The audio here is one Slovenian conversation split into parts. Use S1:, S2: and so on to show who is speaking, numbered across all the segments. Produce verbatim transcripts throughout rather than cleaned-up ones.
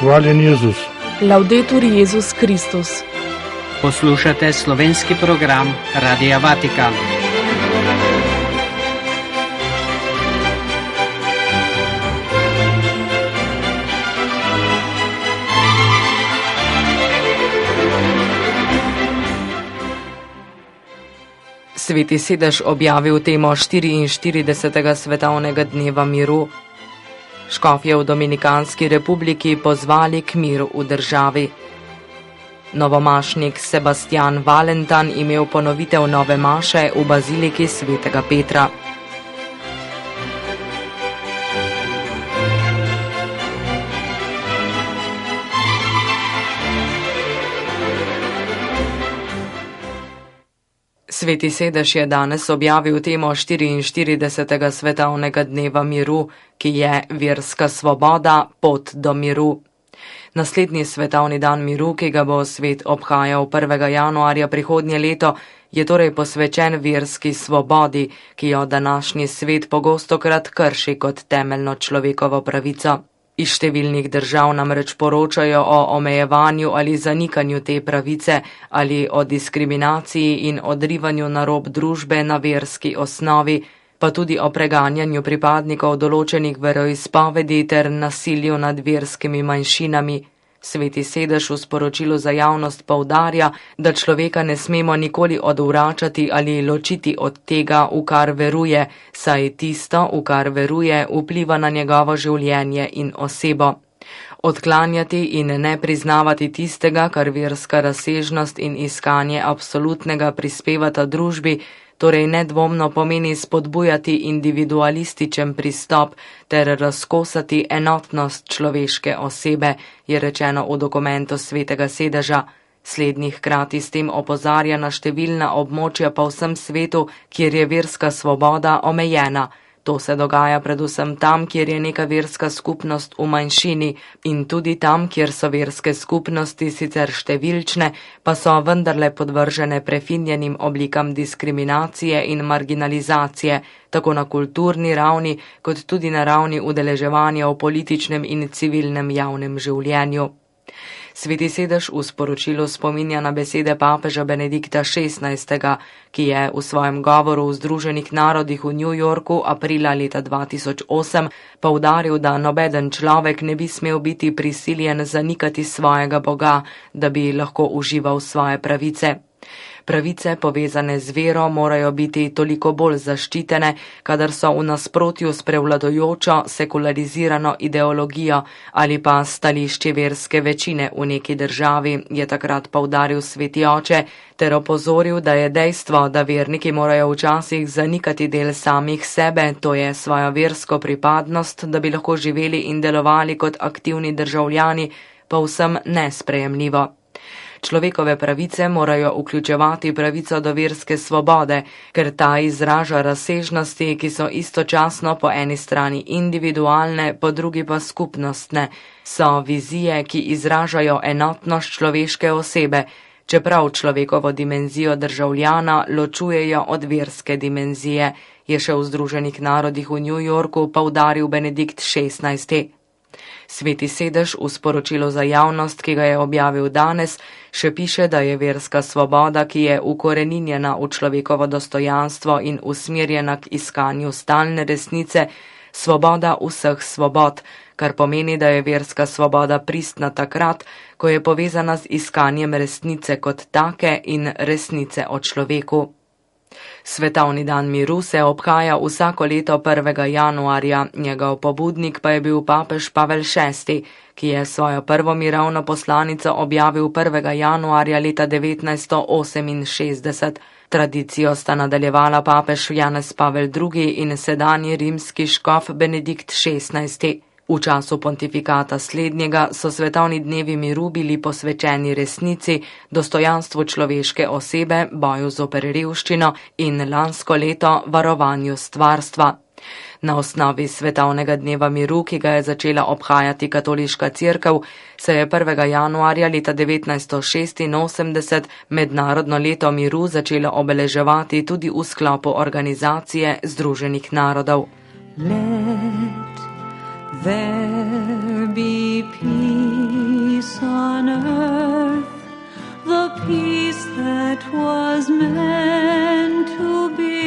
S1: Hvaljen Jezus.
S2: Laudetur Jezus Kristus.
S3: Poslušate slovenski program Radia Vatikan.
S2: Sveti sedež objavil temo štiriinštiridesetega svetovnega dneva miru. Škofje v Dominikanski republiki pozvali k miru v državi. Novomašnik Sebastian Valentan imel ponovitev nove maše v baziliki svetega Petra. Sveti sedež je danes objavil temo štiriinštiridesetega svetovnega dneva miru, ki je verska svoboda, pot do miru. Naslednji svetovni dan miru, ki ga bo svet obhajal prvega januarja prihodnje leto, je torej posvečen verski svobodi, ki jo današnji svet pogostokrat krši kot temeljno človekovo pravico. Iz številnih držav namreč poročajo o omejevanju ali zanikanju te pravice ali o diskriminaciji in odrivanju na rob družbe na verski osnovi, pa tudi o preganjanju pripadnikov določenih veroizpovedi ter nasilju nad verskimi manjšinami. Sveti sedež v sporočilu za javnost poudarja, da človeka ne smemo nikoli odvračati ali ločiti od tega, v kar veruje, saj tisto, v kar veruje, vpliva na njegovo življenje in osebo. Odklanjati in ne priznavati tistega, kar verska razsežnost in iskanje absolutnega prispevata družbi, torej nedvomno pomeni spodbujati individualističen pristop ter razkosati enotnost človeške osebe, je rečeno v dokumentu svetega sedeža. Slednji hkrati s tem opozarja na številna območja po vsem svetu, kjer je verska svoboda omejena. To se dogaja predvsem tam, kjer je neka verska skupnost v manjšini, in tudi tam, kjer so verske skupnosti sicer številčne, pa so vendarle podvržene prefinjenim oblikam diskriminacije in marginalizacije, tako na kulturni ravni, kot tudi na ravni udeleževanja v političnem in civilnem javnem življenju. Sveti sedež v sporočilu spominja na besede papeža Benedikta šestnajstega, ki je v svojem govoru v Združenih narodih v New Yorku aprila leta dva tisoč osem poudaril, da nobeden človek ne bi smel biti prisiljen zanikati svojega Boga, da bi lahko užival svoje pravice. Pravice, povezane z vero, morajo biti toliko bolj zaščitene, kadar so v nasprotju s prevladojočo sekularizirano ideologijo ali pa stališči verske večine v neki državi, je takrat poudaril sveti oče, ter opozoril, da je dejstvo, da verniki morajo včasih zanikati del samih sebe, to je svojo versko pripadnost, da bi lahko živeli in delovali kot aktivni državljani, povsem nesprejemljivo. Človekove pravice morajo vključevati pravico do verske svobode, ker ta izraža razsežnosti, ki so istočasno po eni strani individualne, po drugi pa skupnostne. So vizije, ki izražajo enotnost človeške osebe, čeprav človekovo dimenzijo državljana ločujejo od verske dimenzije, je še v Združenih narodih v New Yorku poudaril Benedikt šestnajsti. Sveti sedež v sporočilu za javnost, ki ga je objavil danes, še piše, da je verska svoboda, ki je ukoreninjena v človekovo dostojanstvo in usmerjena k iskanju stalne resnice, svoboda vseh svobod, kar pomeni, da je verska svoboda pristna takrat, ko je povezana z iskanjem resnice kot take in resnice o človeku. Svetovni dan miru se obhaja vsako leto prvega januarja, njegov pobudnik pa je bil papež Pavel šesti, ki je svojo prvo mirovno poslanico objavil prvega januarja leta devetnajststo oseminšestdeset. Tradicijo sta nadaljevala papež Janez Pavel drugi in sedanji rimski škof Benedikt šestnajsti. V času pontifikata slednjega so svetovni dnevi miru bili posvečeni resnici, dostojanstvu človeške osebe, boju zoper revščino in lansko leto varovanju stvarstva. Na osnovi svetovnega dneva miru, ki ga je začela obhajati katoliška cerkev, se je prvega januarja leta devetnajststo šestinosemdeset mednarodno leto miru začelo obeleževati tudi v sklopu organizacije Združenih narodov.
S4: Let there be peace
S1: peace on earth, the peace that was meant to be.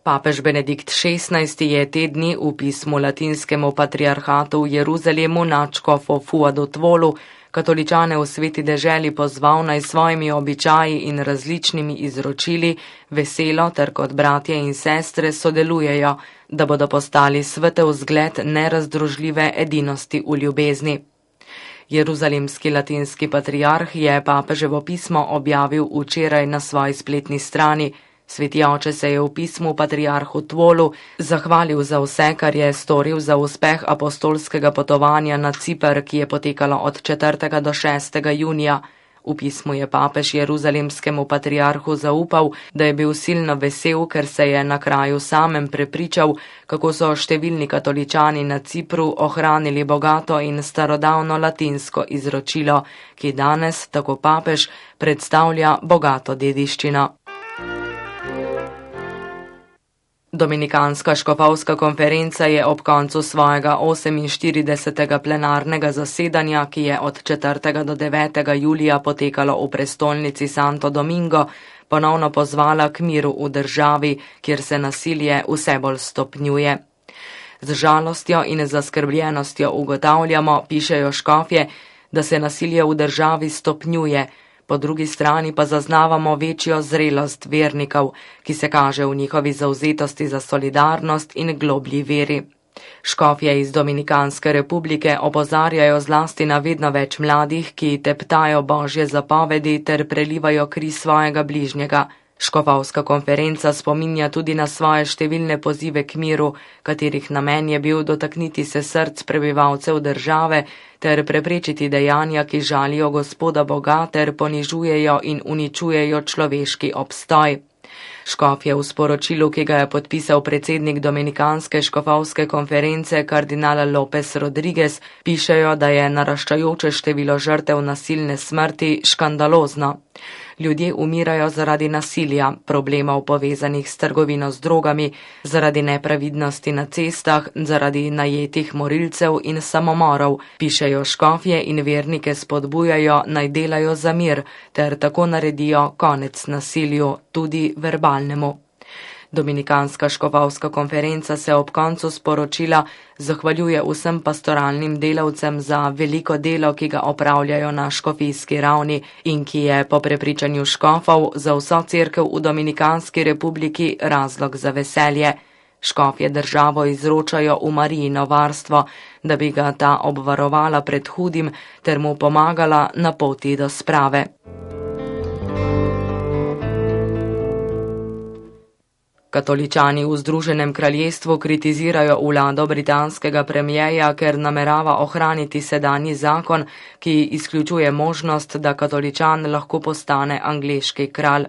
S2: Papež Benedikt šestnajsti je te dni v pismu latinskemu patriarhatu v Jeruzalemu nadškofu Fuadu Tvolu katoličane v sveti deželi pozval naj svojimi običaji in različnimi izročili veselo ter kot bratje in sestre sodelujejo, da bodo postali svetel zgled nerazdružljive edinosti v ljubezni. Jeruzalemski latinski patriarh je papeževo pismo objavil včeraj na svoji spletni strani. Sveti oče se je v pismu patriarhu Tvolu zahvalil za vse, kar je storil za uspeh apostolskega potovanja na Ciper, ki je potekalo od četrtega do šestega junija. V pismu je papež jeruzalemskemu patriarhu zaupal, da je bil silno vesel, ker se je na kraju samem prepričal, kako so številni katoličani na Cipru ohranili bogato in starodavno latinsko izročilo, ki danes, tako papež, predstavlja bogato dediščino. Dominikanska škofovska konferenca je ob koncu svojega oseminštiridesetega plenarnega zasedanja, ki je od četrtega do devetega julija potekalo v prestolnici Santo Domingo, ponovno pozvala k miru v državi, kjer se nasilje vse bolj stopnjuje. Z žalostjo in zaskrbljenostjo ugotavljamo, pišejo škofje, da se nasilje v državi stopnjuje, po drugi strani pa zaznavamo večjo zrelost vernikov, ki se kaže v njihovi zavzetosti za solidarnost in globlji veri. Škofje iz Dominikanske republike opozarjajo zlasti na vedno več mladih, ki teptajo božje zapovedi ter prelivajo kri svojega bližnjega. Škofovska konferenca spominja tudi na svoje številne pozive k miru, katerih namen je bil dotakniti se src prebivalcev države ter preprečiti dejanja, ki žalijo Gospoda Boga ter ponižujejo in uničujejo človeški obstoj. Škofje v sporočilu, ki ga je podpisal predsednik Dominikanske škofovske konference kardinal López Rodríguez, pišejo, da je naraščajoče število žrtev nasilne smrti škandalozno. Ljudje umirajo zaradi nasilja, problemov povezanih s trgovino z drogami, zaradi nepravidnosti na cestah, zaradi najetih morilcev in samomorov, pišejo škofje in vernike spodbujajo naj delajo za mir ter tako naredijo konec nasilju, tudi verbalnemu. Dominikanska škofovska konferenca se ob koncu sporočila zahvaljuje vsem pastoralnim delavcem za veliko delo, ki ga opravljajo na škofijski ravni in ki je po prepričanju škofov za vso cerkev v Dominikanski republiki razlog za veselje. Škofje državo izročajo v Marijino varstvo, da bi ga ta obvarovala pred hudim ter mu pomagala na poti do sprave. Katoličani v Združenem kraljestvu kritizirajo vlado britanskega premierja, ker namerava ohraniti sedanji zakon, ki izključuje možnost, da katoličan lahko postane angleški kralj.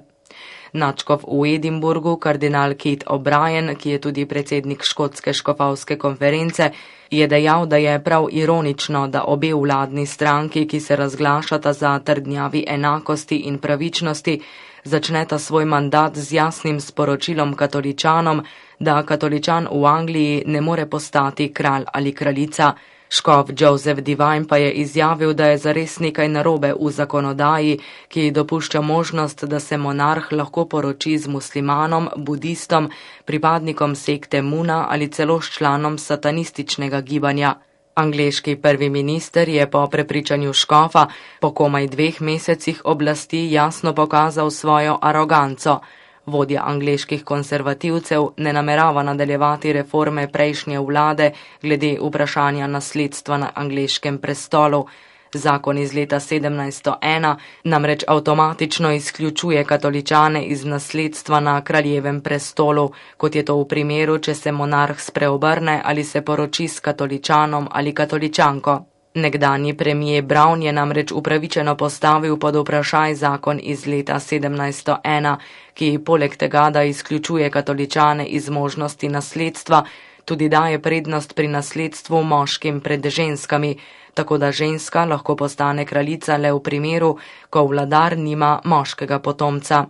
S2: Nadškof v Edinburgu, kardinal Keith O'Brien, ki je tudi predsednik škotske škofovske konference, je dejal, da je prav ironično, da obe vladni stranki, ki se razglašata za trdnjavi enakosti in pravičnosti, začneta svoj mandat z jasnim sporočilom katoličanom, da katoličan v Angliji ne more postati kralj ali kraljica. Škof Joseph Divine pa je izjavil, da je zares nekaj narobe v zakonodaji, ki dopušča možnost, da se monarh lahko poroči z muslimanom, budistom, pripadnikom sekte Muna ali celo s članom satanističnega gibanja. Angleški prvi minister je po prepričanju škofa po komaj dveh mesecih oblasti jasno pokazal svojo aroganco. Vodja angleških konservativcev ne namerava nadaljevati reforme prejšnje vlade glede vprašanja nasledstva na angleškem prestolu. Zakon iz leta sedemnajststo ena namreč avtomatično izključuje katoličane iz nasledstva na kraljevem prestolu, kot je to v primeru, če se monarh spreobrne ali se poroči s katoličanom ali katoličanko. Nekdanji premijer Brown je namreč upravičeno postavil pod vprašaj zakon iz leta sedemnajststo ena, ki poleg tega, da izključuje katoličane iz možnosti nasledstva, tudi daje prednost pri nasledstvu moškim pred ženskami, tako da ženska lahko postane kraljica le v primeru, ko vladar nima moškega potomca.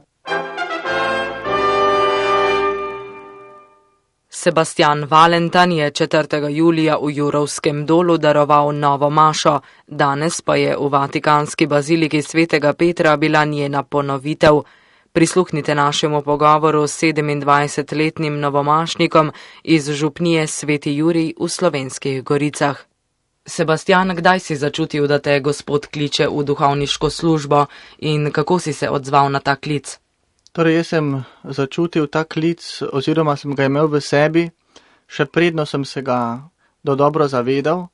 S2: Sebastian Valentan je četrtega julija v Jurovskem dolu daroval novo mašo, danes pa je v Vatikanski baziliki svetega Petra bila njena ponovitev. Prisluhnite našemu pogovoru s sedemindvajsetletnim novomašnikom iz župnije Sveti Jurij v Slovenskih Goricah. Sebastian, kdaj si začutil, da te Gospod kliče v duhovniško službo in kako si se odzval na ta klic?
S4: Torej, jaz sem začutil ta klic oziroma sem ga imel v sebi, še predno sem se ga do dobro zavedal,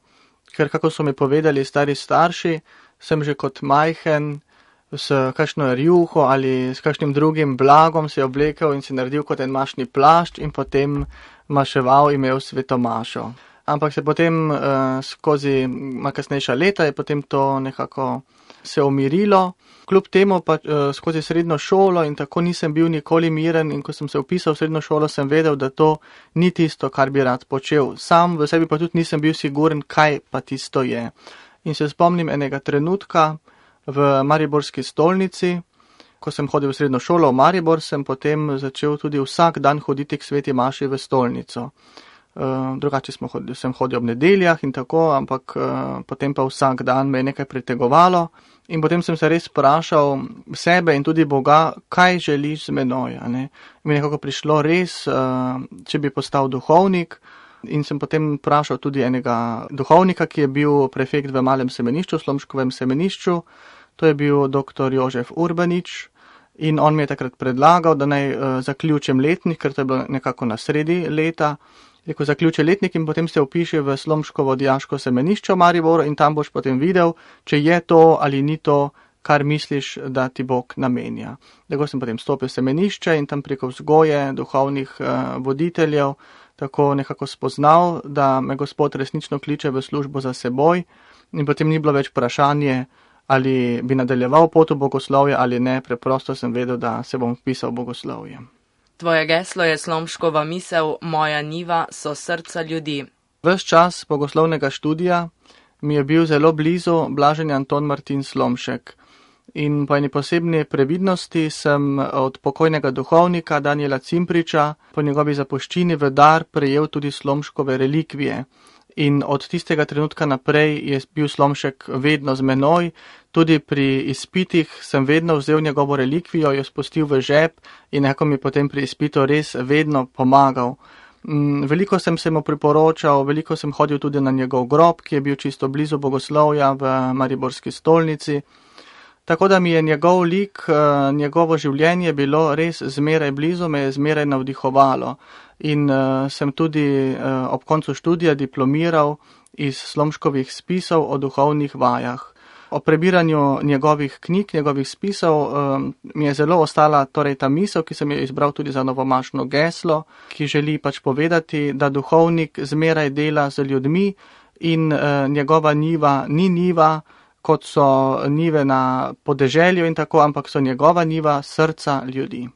S4: ker kako so mi povedali stari starši, sem že kot majhen s kakšno rjuho ali s kakšnim drugim blagom se oblekel in si naredil kot en mašni plašč in potem maševal, imel sveto mašo. Ampak se potem uh, skozi kasnejša leta je potem to nekako se umirilo. Kljub temu pa uh, skozi srednjo šolo in tako nisem bil nikoli miren in ko sem se vpisal v srednjo šolo, sem vedel, da to ni tisto, kar bi rad počel. Sam v sebi pa tudi nisem bil siguren, kaj pa tisto je. In se spomnim enega trenutka v mariborski stolnici, ko sem hodil v srednjo šolo v Maribor, sem potem začel tudi vsak dan hoditi k sveti maši v stolnico. Uh, drugače smo hodili, sem hodil ob nedeljah in tako, ampak uh, potem pa vsak dan me je nekaj pritegovalo in potem sem se res vprašal sebe in tudi Boga, kaj želiš z menoj. Mi je nekako prišlo res, uh, če bi postal duhovnik, in sem potem vprašal tudi enega duhovnika, ki je bil prefekt v Malem semenišču, v Slomškovem semenišču, to je bil doktor Jožef Urbanič. In on mi je takrat predlagal, da naj uh, zaključim letnik, ker to je bilo nekako na sredi leta. Rekel, zaključi letnik in potem se vpiši v Slomškovo dijaško semenišče v Mariboru in tam boš potem videl, če je to ali ni to, kar misliš, da ti Bog namenja. Tako sem potem stopil v semenišče in tam preko vzgoje duhovnih uh, voditeljev tako nekako spoznal, da me Gospod resnično kliče v službo za seboj in potem ni bilo več vprašanje, ali bi nadaljeval pot v bogoslovje ali ne, preprosto sem vedel, da se bom vpisal v bogoslovje.
S2: Tvoje geslo je Slomškova misel, moja njiva so srca ljudi.
S4: Ves čas bogoslovnega študija mi je bil zelo blizu blaženi Anton Martin Slomšek. In po eni posebni previdnosti sem od pokojnega duhovnika Daniela Cimpriča po njegovi zapuščini v dar prejel tudi Slomškove relikvije. In od tistega trenutka naprej je bil Slomšek vedno z menoj, tudi pri izpitih sem vedno vzel njegovo relikvijo, jo spustil v žep in nekako mi potem pri izpitu res vedno pomagal. Veliko sem se mu priporočal, veliko sem hodil tudi na njegov grob, ki je bil čisto blizu bogoslovja v Mariborski stolnici. Tako da mi je njegov lik, njegovo življenje bilo res zmeraj blizu, me je zmeraj navdihovalo. In uh, sem tudi uh, ob koncu študija diplomiral iz Slomškovih spisov o duhovnih vajah. O prebiranju njegovih knjig, njegovih spisov um, mi je zelo ostala torej ta misel, ki sem jo izbral tudi za novomašno geslo, ki želi pač povedati, da duhovnik zmeraj dela z ljudmi in uh, njegova njiva ni njiva, kot so njive na podeželju in tako, ampak so njegova njiva srca ljudi.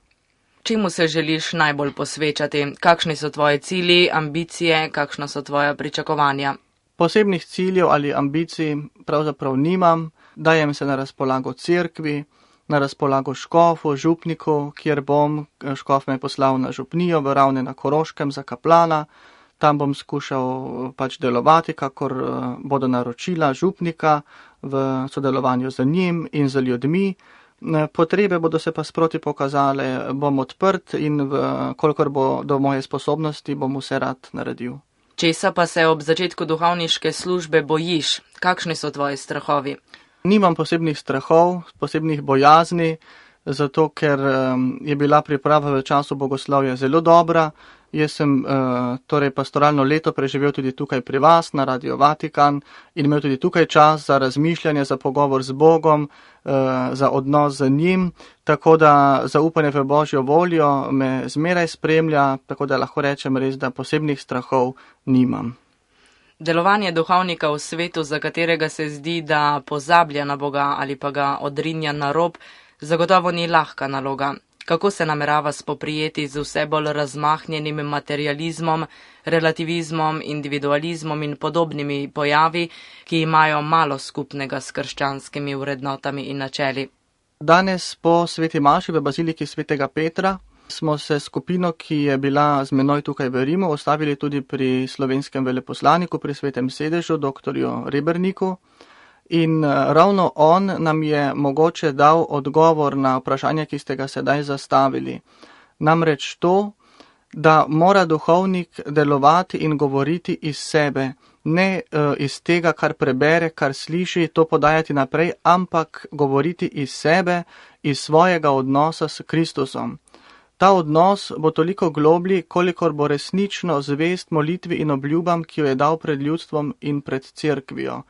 S2: Čemu se želiš najbolj posvečati? Kakšni so tvoji cilji, ambicije, kakšna so tvoja pričakovanja?
S4: Posebnih ciljev ali ambicij pravzaprav nimam, dajem se na razpolago cerkvi, na razpolago škofu, župniku, kjer bom, škof me poslal na župnijo v Ravne na Koroškem za kaplana, tam bom skušal pač delovati, kakor bodo naročila župnika v sodelovanju z njim in z ljudmi. Potrebe bodo se pa sproti pokazale, bom odprt in v, kolikor bo do moje sposobnosti, bom vse rad naredil.
S2: Česa pa se ob začetku duhovniške službe bojiš? Kakšni so tvoji strahovi?
S4: Nimam posebnih strahov, posebnih bojazni, zato ker je bila priprava v času bogoslovja zelo dobra. Jaz sem uh, torej pastoralno leto preživel tudi tukaj pri vas na Radio Vatikan in imel tudi tukaj čas za razmišljanje, za pogovor z Bogom, uh, za odnos z njim, tako da zaupanje v Božjo voljo me zmeraj spremlja, tako da lahko rečem res, da posebnih strahov nimam.
S2: Delovanje duhovnika v svetu, za katerega se zdi, da pozablja na Boga ali pa ga odrinja na rob, zagotovo ni lahka naloga. Kako se namerava spoprijeti z vse bolj razmahnjenim materializmom, relativizmom, individualizmom in podobnimi pojavi, ki imajo malo skupnega s krščanskimi vrednotami in načeli?
S4: Danes po sveti maši v baziliki svetega Petra smo se skupino, ki je bila z menoj tukaj v Rimu, ostavili tudi pri slovenskem veleposlaniku, pri Svetem sedežu, doktorju Reberniku. In ravno on nam je mogoče dal odgovor na vprašanje, ki ste ga sedaj zastavili. Namreč to, da mora duhovnik delovati in govoriti iz sebe, ne uh, iz tega, kar prebere, kar sliši, to podajati naprej, ampak govoriti iz sebe, iz svojega odnosa s Kristusom. Ta odnos bo toliko globlji, kolikor bo resnično zvest molitvi in obljubam, ki jo je dal pred ljudstvom in pred cerkvijo.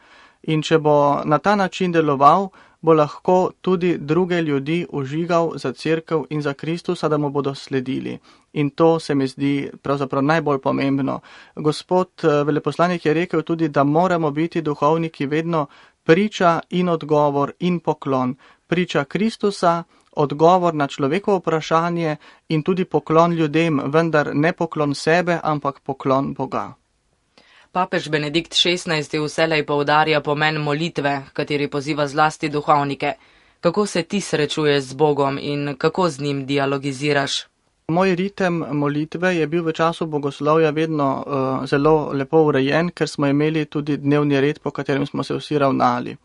S4: In če bo na ta način deloval, bo lahko tudi druge ljudi užigal za cerkev in za Kristusa, da mu bodo sledili. In to se mi zdi pravzaprav najbolj pomembno. Gospod veleposlanik je rekel tudi, da moramo biti duhovniki vedno priča in odgovor in poklon. Priča Kristusa, odgovor na človekovo vprašanje in tudi poklon ljudem, vendar ne poklon sebe, ampak poklon Boga.
S2: Papež Benedikt šestnajsti vselej poudarja pomen molitve, kateri poziva zlasti duhovnike. Kako se ti srečuješ z Bogom in kako z njim dialogiziraš?
S4: Moj ritem molitve je bil v času bogoslovja vedno uh, zelo lepo urejen, ker smo imeli tudi dnevni red, po katerem smo se vsi ravnali.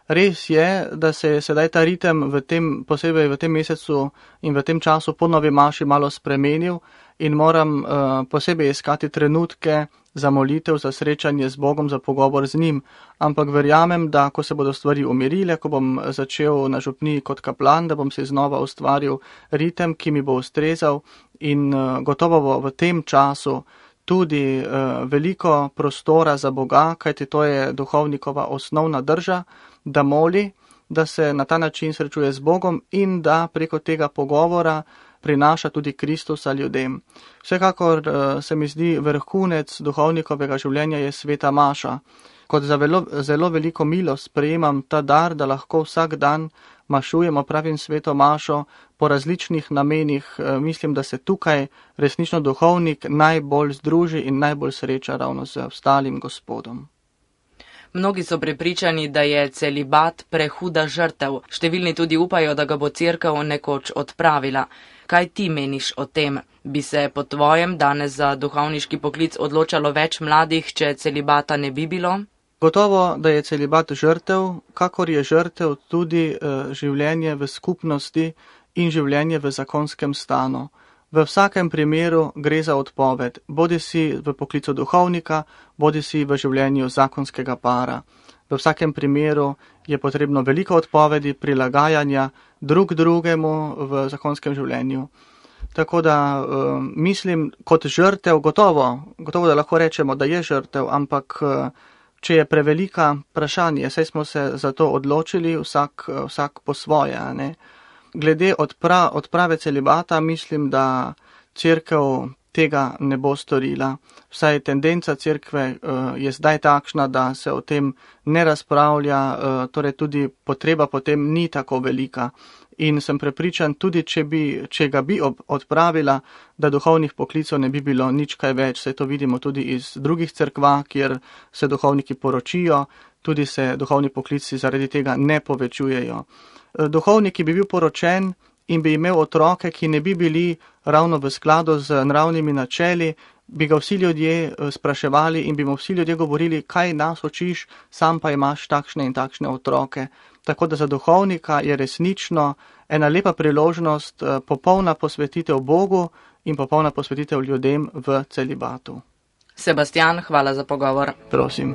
S4: Res je, da se je sedaj ta ritem v tem, posebej v tem mesecu in v tem času po novi maši malo spremenil in moram uh, posebej iskati trenutke za molitev, za srečanje z Bogom, za pogovor z njim. Ampak verjamem, da ko se bodo stvari umirile, ko bom začel na župniji kot kaplan, da bom si znova ustvaril ritem, ki mi bo ustrezal in uh, gotovo bo v tem času tudi uh, veliko prostora za Boga, kajti to je duhovnikova osnovna drža, da moli, da se na ta način srečuje z Bogom in da preko tega pogovora prinaša tudi Kristusa ljudem. Vsekakor uh, se mi zdi vrhunec duhovnikovega življenja je sveta maša. Kot za velo, zelo veliko milost prejemam ta dar, da lahko vsak dan mašujemo, pravim sveto mašo, po različnih namenih. Uh, mislim, da se tukaj resnično duhovnik najbolj združi in najbolj sreča ravno z ostalim Gospodom.
S2: Mnogi so prepričani, da je celibat prehuda žrtev. Številni tudi upajo, da ga bo cerkev nekoč odpravila. Kaj ti meniš o tem? Bi se po tvojem danes za duhovniški poklic odločalo več mladih, če celibata ne bi bilo?
S4: Gotovo, da je celibat žrtev, kakor je žrtev tudi uh, življenje v skupnosti in življenje v zakonskem stanu. V vsakem primeru gre za odpoved, bodi si v poklicu duhovnika, bodi si v življenju zakonskega para. V vsakem primeru je potrebno veliko odpovedi, prilagajanja drug drugemu v zakonskem življenju. Tako da um, mislim, kot žrtev, gotovo, gotovo, da lahko rečemo, da je žrtev, ampak uh, če je prevelika vprašanje, saj smo se za to odločili, vsak, vsak po svoje, ne? Glede odpra, odprave celibata, mislim, da cerkev tega ne bo storila. Vsaj tendenca cerkve uh, je zdaj takšna, da se o tem ne razpravlja, uh, torej tudi potreba potem ni tako velika. In sem prepričan, tudi če, bi, če ga bi ob, odpravila, da duhovnih poklicov ne bi bilo nič kaj več. Saj to vidimo tudi iz drugih cerkva, kjer se duhovniki poročijo, tudi se duhovni poklici zaradi tega ne povečujejo. Duhovnik, ki bi bil poročen in bi imel otroke, ki ne bi bili ravno v skladu z naravnimi načeli, bi ga vsi ljudje spraševali in bi mu vsi ljudje govorili, kaj nas učiš, sam pa imaš takšne in takšne otroke. Tako da za duhovnika je resnično ena lepa priložnost, popolna posvetitev Bogu in popolna posvetitev ljudem v celibatu.
S2: Sebastian, hvala za pogovor.
S4: Prosim.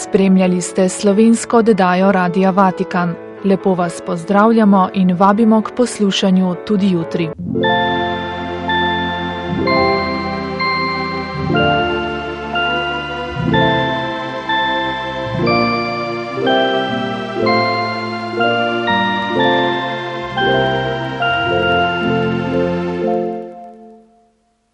S5: Spremljali ste slovensko oddajo Radia Vatikan. Lepo vas pozdravljamo in vabimo k poslušanju tudi jutri.